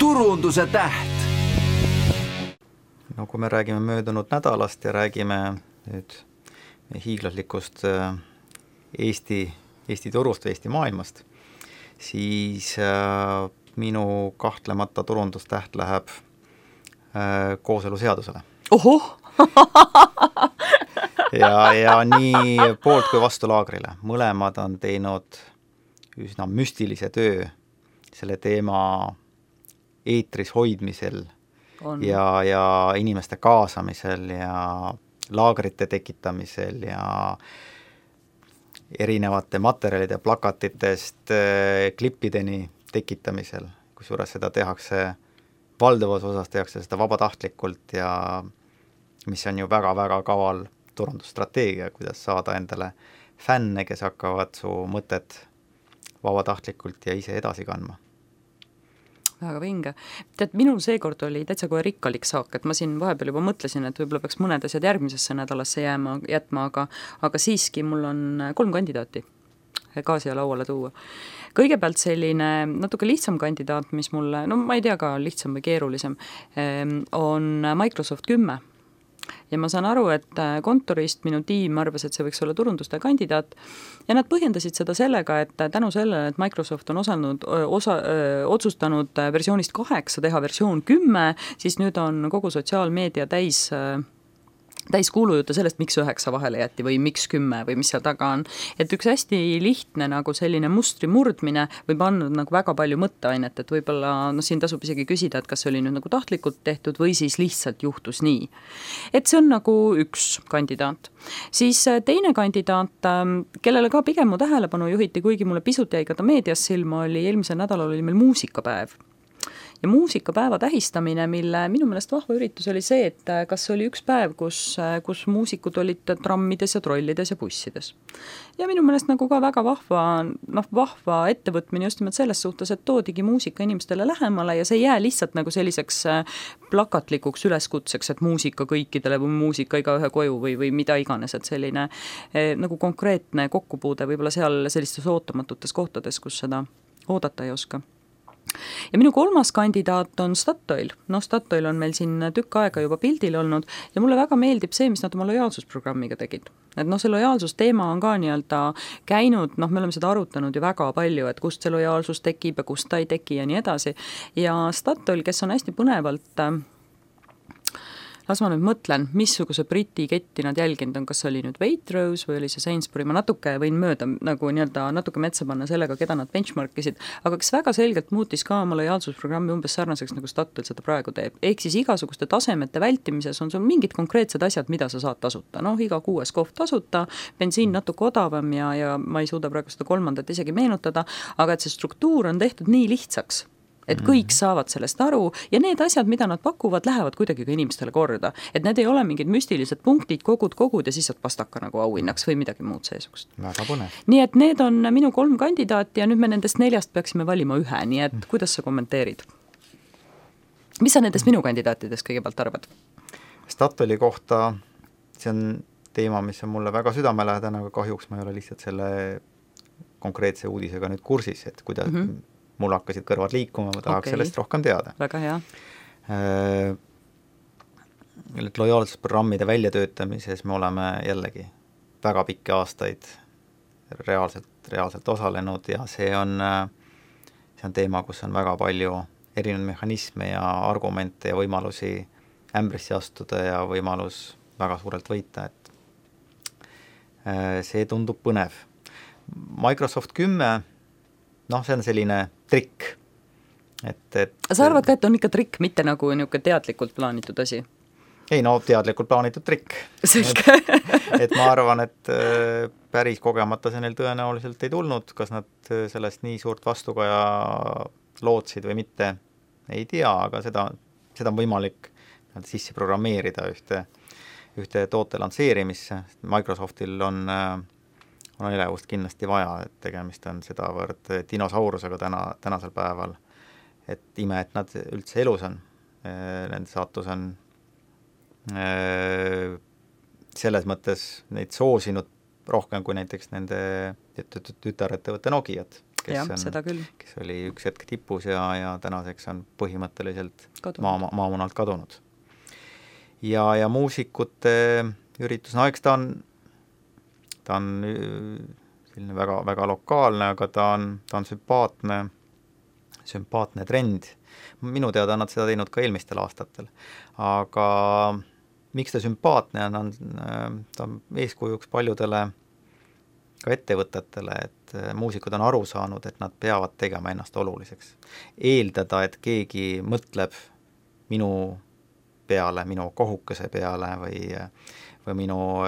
turunduse täht. No kui me räägime möödunud nädalast ja räägime nüüd hiiglaslikust Eesti turust või Eesti maailmast, siis minu kahtlemata turundustäht läheb kooseluseadusele. Ohoh! ja nii poolt kui vastu laagrile. Mõlemad on teinud üsna müstilise töö selle teema eetris hoidmisel ja inimeste kaasamisel ja laagrite tekitamisel ja erinevate materjalide plakatitest klippideni tekitamisel, kusjuures seda tehakse, valdavas osas tehakse seda vabatahtlikult ja mis on ju väga-väga kaval turundusstrateegia, kuidas saada endale fänne, kes hakkavad su mõtet vabatahtlikult ja ise edasi kandma. Väga vinge. Tead, minul seekord oli täitsa kohe rikkalik saak, et ma siin vahepeal juba mõtlesin, et võib-olla peaks mõned asjad järgmisesse nädalasse jätma, aga siiski mul on 3 kandidaati ka siia lauale tuua. Kõigepealt selline natuke lihtsam kandidaat, mis mulle, no ma ei tea ka lihtsam või keerulisem, on Microsoft 10. Ja ma saan aru, et kontorist minu tiim arvas, et see võiks olla turunduste kandidaat ja nad põhjendasid seda sellega, et tänu sellele, et Microsoft on otsustanud versioonist 8 teha versioon 10, siis nüüd on kogu sotsiaalmeedia täis kuulujutte sellest, miks 9 vahele jätti või miks 10 või mis seal taga on. Et üks hästi lihtne nagu selline mustri murdmine võib andnud nagu väga palju mõtteainet, et võib-olla siin tasub isegi küsida, et kas see oli nüüd nagu tahtlikult tehtud või siis lihtsalt juhtus nii. Et see on nagu üks kandidaat. Siis teine kandidaat, kellele ka pigem mu tähelepanu juhiti, kuigi mulle pisut jäi ka ta meedias silma, oli eelmisel nädalal oli meil muusikapäev. Ja muusikapäeva tähistamine, mille minu meelest vahva üritus oli see, et kas oli üks päev, kus muusikud olid trammides ja trollides ja bussides. Ja minu meelest nagu ka väga vahva ettevõtmine just nimelt selles suhtes, et toodigi muusika inimestele lähemale ja see ei jää lihtsalt nagu selliseks plakatlikuks üleskutseks, et muusika kõikidele või muusika igaühe koju või mida iganes, et selline nagu konkreetne kokkupuude võib-olla seal sellistes ootamatutes kohtades, kus seda oodata ei oska. Ja minu 3. kandidaat on Statoil. Statoil on meil siin tükk aega juba pildil olnud ja mulle väga meeldib see, mis nad oma lojaalsusprogrammiga tegid. Et see lojaalsusteema on ka nii-öelda käinud, me oleme seda arutanud ju väga palju, et kust see lojaalsus tekib ja kust ta ei teki ja nii edasi. Ja Statoil, kes on hästi põnevalt las ma nüüd mõtlen, missuguse Briti ketti nad jälginud on, kas oli nüüd Waitrose või oli see Sainsbury, ma natuke võin mööda nagu nii-öelda natuke metsa panna sellega, keda nad benchmarkisid, aga kes väga selgelt muutis ka oma lojaalsusprogrammi umbes sarnaseks, nagu Statoil seda praegu teeb. Ehk siis igasuguste tasemete vältimises on sul mingid konkreetsed asjad, mida sa saad tasuta. Iga 6 kohv tasuta, bensiin natuke odavam ja ma ei suuda praegu seda 3. isegi meenutada, aga et see struktuur on tehtud nii lihtsaks, et kõik saavad sellest aru ja need asjad, mida nad pakuvad, lähevad kuidagi ka inimestele korda. Et need ei ole mingid müstilised punktid, kogud ja siis saad pastaka nagu auhinnaks või midagi muud seesugust. Väga põnev. Nii et need on minu 3 kandidaati ja nüüd me nendest 4 peaksime valima ühe, nii et kuidas sa kommenteerid? Mis sa nendest minu kandidaatidest kõigepealt arvad? Statoili kohta, see on teema, mis on mulle väga südamelähedane, aga kahjuks ma ei ole lihtsalt selle konkreetse uudisega nüüd kursis, et kuidas mul hakkasid kõrvad liikuma, ma tahaks sellest rohkem teada. Väga hea. Lojaalsusprogrammide väljatöötamises me oleme jällegi väga pikki aastaid reaalselt osalenud ja see on teema, kus on väga palju erinevaid mehhanisme ja argumente ja võimalusi ämbrisse astuda ja võimalus väga suurelt võita, et see tundub põnev. Microsoft 10 see on selline trikk. Sa arvad ka, et on ikka trikk, mitte nagu niisugune teadlikult plaanitud asi? Ei, teadlikult plaanitud trikk. Selge. Et ma arvan, et päris kogemata see neil tõenäoliselt ei tulnud, kas nad sellest nii suurt vastukaja lootsid või mitte, ei tea, aga seda on võimalik sisse programmeerida ühte toote lansseerimisse. Microsoftil on elevust kindlasti vaja, et tegemist on sedavõrd dinosaurusega tänasel päeval, et ime, et nad üldse elus on. Nende saatus on selles mõttes neid soosinud rohkem kui näiteks nende tütarettevõtte Nokiat. kes oli üks hetk tipus ja tänaseks on põhimõtteliselt maamunalt kadunud. Ja muusikute üritus, no eks ta on selline väga, väga lokaalne, aga ta on sümpaatne trend. Minu teada on nad seda teinud ka eelmistel aastatel. Aga miks ta sümpaatne on, ta on eeskujuks paljudele ka ettevõtetele, et muusikud on aru saanud, et nad peavad tegema ennast oluliseks. Eeldada, et keegi mõtleb minu peale, minu kohukese peale või minu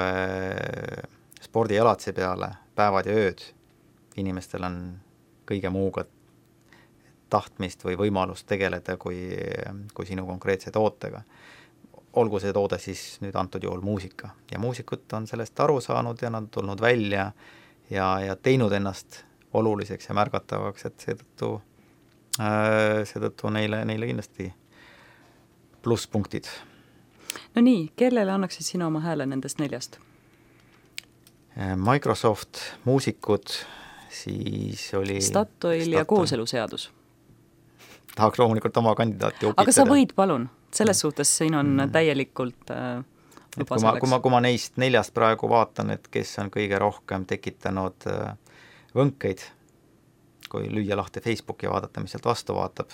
spordielatise peale päevad ja ööd. Inimestel on kõige muuga tahtmist või võimalust tegeleda kui sinu konkreetse tootega. Olgu see toode siis nüüd antud juhul muusika. Ja muusikud on sellest aru saanud ja nad on tulnud välja ja teinud ennast oluliseks ja märgatavaks, et seetõttu neile kindlasti plusspunktid. No nii, kellele annaksid sina oma hääle nendest 4? Microsoft, muusikud, siis oli Statoil ja kooseluseadus. Tahaks loomulikult oma kandidaati opitada. Aga sa võid, palun. Selles suhtes siin on täielikult kui ma neist 4 praegu vaatan, et kes on kõige rohkem tekitanud võnkeid, kui lüüa lahti Facebooki ja vaadata, mis sealt vastu vaatab,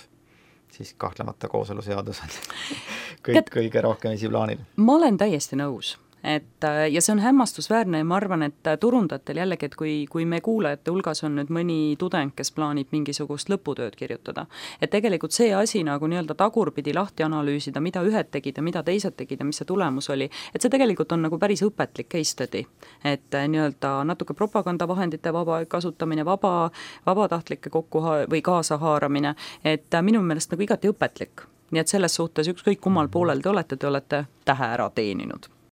siis kahtlemata kooseluseadus on kõige rohkem esiplaanil. Ma olen täiesti nõus. Ja see on hämmastusväärne ja ma arvan, et turundatel jällegi, et kui me kuulajate hulgas on nüüd mõni tudeng, kes plaanib mingisugust lõputööd kirjutada, et tegelikult see asi nagu nii-öelda tagurpidi lahti analüüsida, mida ühed tegid ja mida teised tegid ja mis see tulemus oli, et see tegelikult on nagu päris õpetlik case study, et nii-öelda natuke propagandavahendite vaba kasutamine, vabatahtlike või kaasahaaramine, et minu meelest nagu igati õpetlik. Nii et selles suhtes ükskõik kummal poolel te olete tähe ära teeninud.